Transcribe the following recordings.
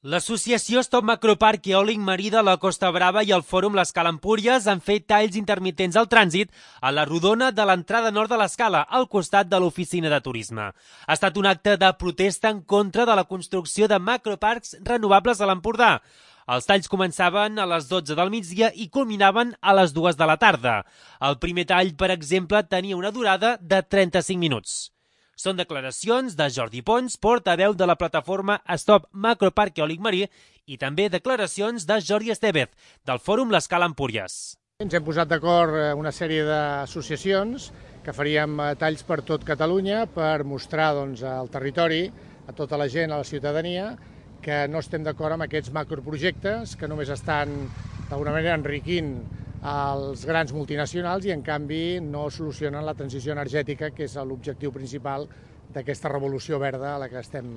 L'associació Stop Macroparc Eòlic Marí de la Costa Brava i el Fòrum l'Escala Empúries han fet talls intermitents al trànsit a la rodona de l'entrada nord de l'Escala, al costat de l'oficina de turisme. Ha estat un acte de protesta en contra de la construcció de macroparcs renovables a l'Empordà. Els talls començaven a les 12 del migdia i culminaven a les 2 de la tarda. El primer tall, per exemple, tenia una durada de 35 minuts. Són declaracions de Jordi Pons, portaveu de la plataforma Stop Macroparc Eòlic Marí, i també declaracions de Jordi Estevez, del Fòrum l'Escala Empúries. Ens hem posat d'acord una sèrie d'associacions que faríem talls per tot Catalunya per mostrar al territori, a tota la gent, a la ciutadania, que no estem d'acord amb aquests macroprojectes que només estan d'alguna manera enriquint els grans multinacionals i en canvi no solucionen la transició energètica, que és l'objectiu principal d'aquesta revolució verda a la que estem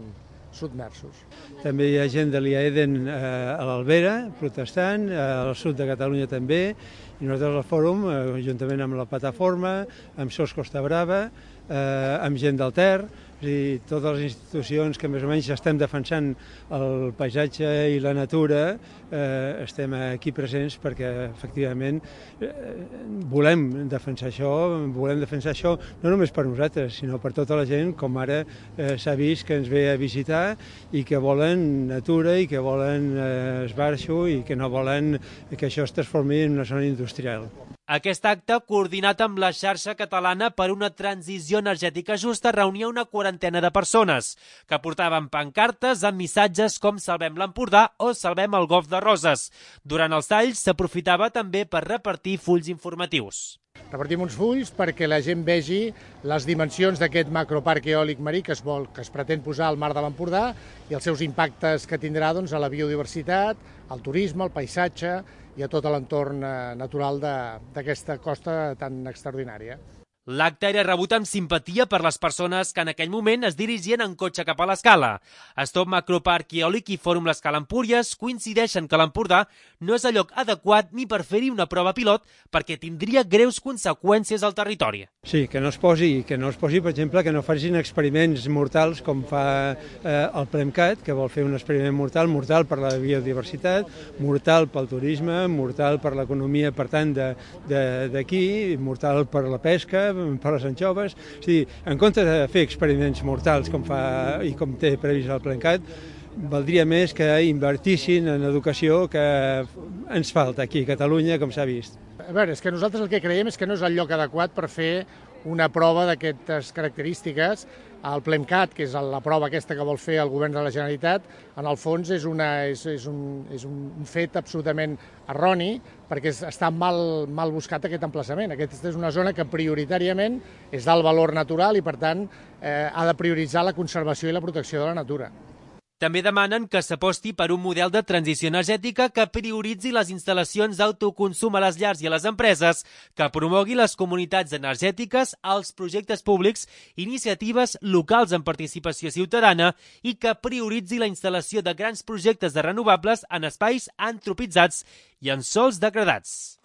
submersos. També hi ha gent de l'IAEDEN a l'Albera protestant, al sud de Catalunya també, i nosaltres al Fòrum, juntament amb la plataforma, amb SOS Costa Brava, amb gent del Ter, i totes les institucions que més o menys estem defensant el paisatge i la natura, estem aquí presents perquè efectivament volem defensar això no només per nosaltres, sinó per tota la gent, com ara s'ha vist que ens ve a visitar i que volen natura i que volen esbarjo i que no volen que això es transformi en una zona industrial. Aquest acte, coordinat amb la xarxa catalana per una transició energètica justa, reunia una quarantena de persones que portaven pancartes amb missatges com Salvem l'Empordà o Salvem el Golf de Roses. Durant els talls s'aprofitava també per repartir fulls informatius. Repartim uns fulls perquè la gent vegi les dimensions d'aquest macroparc eòlic marí que es pretén posar al mar de l'Empordà i els seus impactes que tindrà a la biodiversitat, al turisme, al paisatge i a tot l'entorn natural d'aquesta costa tan extraordinària. L'acte era rebut amb simpatia per les persones que en aquell moment es dirigien en cotxe cap a l'Escala. Stop Macroparc Eòlic i Fòrum l'Escala Empúries coincideixen que l'Empordà no és el lloc adequat ni per fer-hi una prova pilot perquè tindria greus conseqüències al territori. Sí, que no es posi, per exemple, que no facin experiments mortals com fa el PREMCAT, que vol fer un experiment mortal per la biodiversitat, mortal pel turisme, mortal per l'economia, per tant, d'aquí, mortal per la pesca, per les anxoves. És a dir, en comptes de fer experiments mortals com fa i com té previst el PREMCAT, valdria més que invertissin en educació que ens falta aquí a Catalunya, com s'ha vist. A veure, és que nosaltres el que creiem és que no és el lloc adequat per fer una prova d'aquestes característiques. El PLEMCAT, que és la prova aquesta que vol fer el govern de la Generalitat, en el fons és un fet absolutament erroni perquè està mal buscat aquest emplaçament. Aquesta és una zona que prioritàriament és d'alt valor natural i, per tant, ha de prioritzar la conservació i la protecció de la natura. També demanen que s'aposti per un model de transició energètica que prioritzi les instal·lacions d'autoconsum a les llars i a les empreses, que promogui les comunitats energètiques, els projectes públics, iniciatives locals amb participació ciutadana i que prioritzi la instal·lació de grans projectes de renovables en espais antropitzats i en sòls degradats.